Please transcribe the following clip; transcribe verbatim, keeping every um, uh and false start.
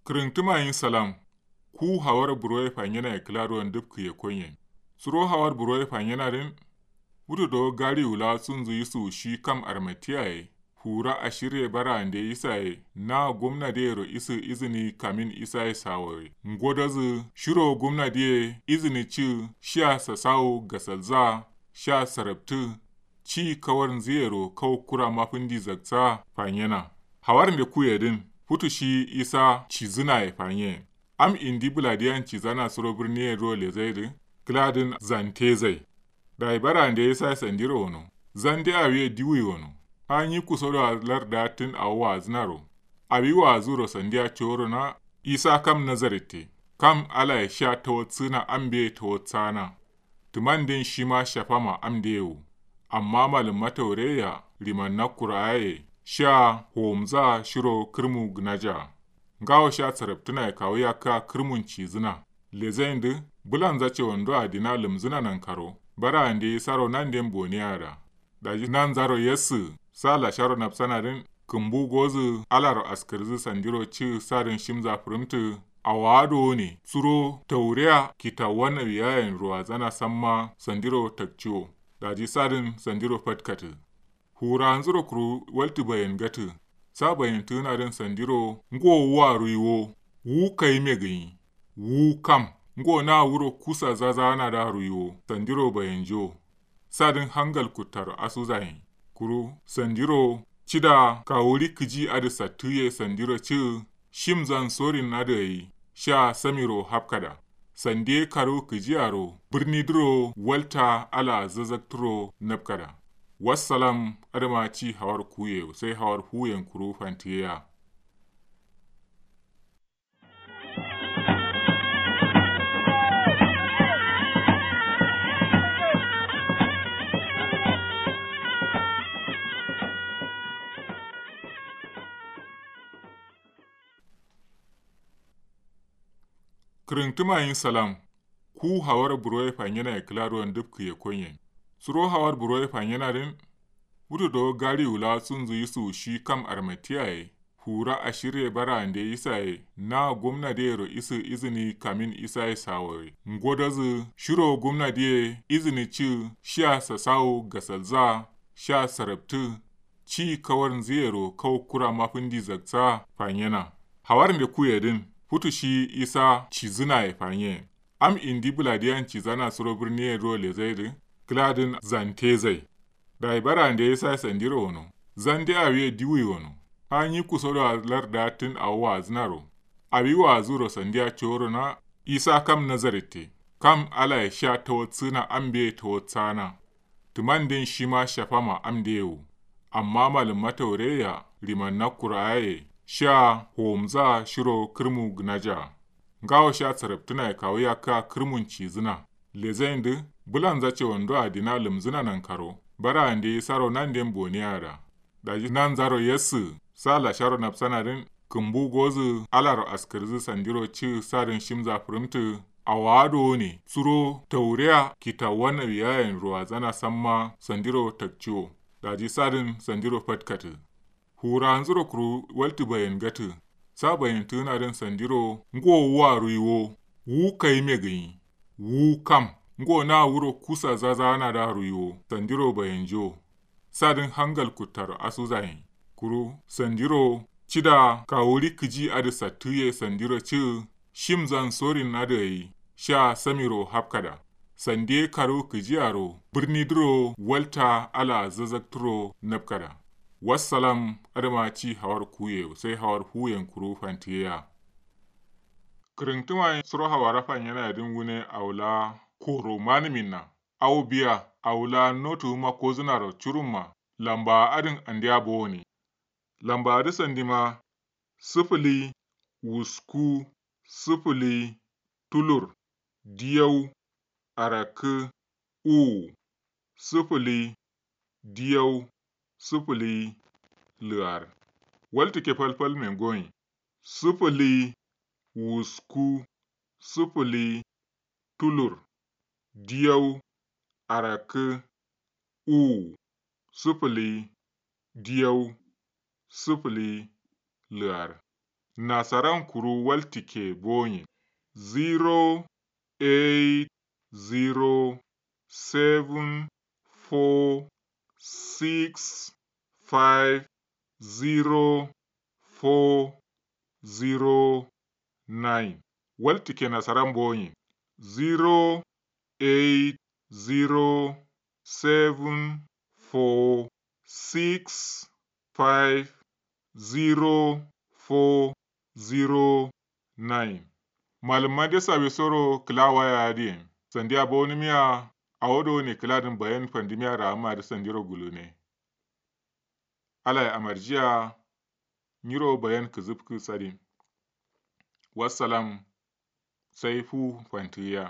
Kǝrǝntǝma yin salam. Ku hawar buroye fanyena ye kǝla duwon dǝfkǝ ye konyen. Suro hawar buroye fanyena dǝn. Futu do gari wula sunzu yisu shi kam armatiya ye. Fura ashirye bara ande isa ye na gomna diyero isǝ izǝni kamin isa ye sawo ye. Ngodozǝ shiro gomna diye izǝni cǝ shiya sasawo gasalza. Sha sarabtǝ ci kawar nzǝyero kau kura mafǝndi zaksa fanyena. Hawar nde kuye dǝn futu shi isa cizǝna ye fanye. Am indi bǝladiyan cizana suro bǝrniye duro lezai dǝ kǝla dǝn zante zai. Dayi bara nde isa ye sandiro wono. Zande awiye diwui wono. Ha nyi kuso do larda tǝn awo wazǝnaro. Awi wazuro sandiya coro na isa kam nazaritte. Kam alaye sha tawatsǝna ambe tawatsana. Tǝmanden shima shafama amde wu. Amma malǝmma taureya rimanna kuraye sha howomza shiro kǝrmu gǝnaja. Ngawo sha sarabtǝnaye kawu yakka kǝrmun cizǝna. Lezain dǝ bǝlanza cewando adina lǝmzǝna nankaro. Bara ande isaro nanden boniya da. Daji nanzaro yasǝ sa lasharo nafsana dǝn kǝmbu gozǝ alaro askǝrzǝ sandiro cǝ sadǝn shimza fǝrǝmtǝ. Awowa dowone suro taureya kitawuwa nawiyayen ruwazana samma sandiro takciwo. Daji sadǝn sandiro fatkatǝ. Furanzuro kuru waltǝ bayen gatǝ. Sa bayentǝgǝna dǝn sandiro ngo wu aruyi wo. Wu kayime gǝnyi. Wu kam ngo na wuro kusa zazaana da aruyi wo sandiro bayenjo. Sadǝn hangal kuttaro asuzayin. Kuru sandiro cida kawuri kǝji adǝ sattǝye sandiro cǝ. Shimzan sorin adǝ ayi sha samiro hafkada. Sandiye karu kǝjiyaro bǝrni duro walta ala zazakturo nafkada. Wassalam. Adǝma ci hawar kuye sai hawar fuyen kuru fantiyeya. Kǝrǝntǝma yin salam. Ku hawar buroye fanyena ye kǝla duwon dǝfkǝ ye konyen. Suro hawar buroye fanyena dǝn. Futu do gari wula sunzu yisu shi kam armatiya ye. Fura ashirye bara ande isa ye na gomna diyero isǝ izǝni kamin isa ye sawo ye. Ngodozǝ shiro gomna diye izǝni cǝ shiya sasawo gasalza. Sha sarabtǝ ci kawar nzǝyero kau kura mafǝndi zaksa fanyena. Hawar nde kuye dǝn futu shi isa cizǝna ye fanye. Am indi bǝladiyan cizana suro bǝrniye duro lezai dǝ kǝla dǝn zante zai. Dayi bara nde isa ye sandiro wono. Zande awiye diwui wono. Ha nyi kuso do larda tǝn awo wazǝnaro. Awi wazuro sandiya coro na isa kam nazaritte. Kam alaye sha tawatsǝna ambe tawatsana. Tǝmanden shima shafama amde wu. Amma malǝmma taureya rimanna kuraye sha howomza shiro kǝrmu gǝnaja. Ngawo sha sarabtǝnaye kawu yakka kǝrmun cizǝna. Lezain dǝ bǝlanza cewando adina lǝmzǝna nankaro. Bara ande isaro nanden boniya da. Daji nanzaro yasǝ sa lasharo nafsana dǝn kǝmbu gozǝ alaro askǝrzǝ sandiro cǝ sadǝn shimza fǝrǝmtǝ. Awowa dowone suro taureya kitawuwa nawiyayen ruwazana samma sandiro takciwo. Daji sadǝn sandiro fatkatǝ. Furanzuro kuru waltǝ bayen gatǝ. Sa bayentǝgǝna dǝn sandiro ngo wu aruyi wo. Wu kayime gǝnyi. Wu kam ngo na wuro kusa zazaana da aruyi wo sandiro bayenjo. Sadǝn hangal kuttaro asuzayin. Kuru sandiro cida kawuri kǝji adǝ sattǝye sandiro cǝ. Shimzan sorin adǝ ayi sha samiro hafkada. Sandiye karu kǝjiyaro bǝrni duro walta ala zazakturo nafkada. Wassalam. Adǝma ci hawar kuye sai hawar fuyen kuru fantiyeya. Kǝrǝntǝma suro hawara fanyena yadǝn wune awo la koro manǝminna. Awo biya awo la notu wuma kozǝnaro curumma. Lamba adǝn andiya bowoni. Lamba adǝ sandima sǝfǝli wusku sǝfǝli tulur diyau arakkǝ uwu sǝfǝli diyau sǝfǝli lǝar. Waltǝkke falfalmen goyin sǝfǝli wusku sǝfǝli tulur diyau arakkǝ uwu sǝfǝli diyau sǝfǝli lǝar. Nasaran kuru waltike bonye. Zero eight zero seven four six five zero four zero nine. Waltike nasaran bonye. Zero eight zero seven four six five zero four zero nine. Malumma de sawisoro kǝla waya adǝ yen sandiya bowonǝmiya. Awo do ne kǝladǝn bayan fandǝmiya ra'amma dǝ sandiro gulune. Alaye amarjiya. Nyiro bayan kǝzǝfkǝ sadin. Wassalam. Sai fu fantǝgǝya.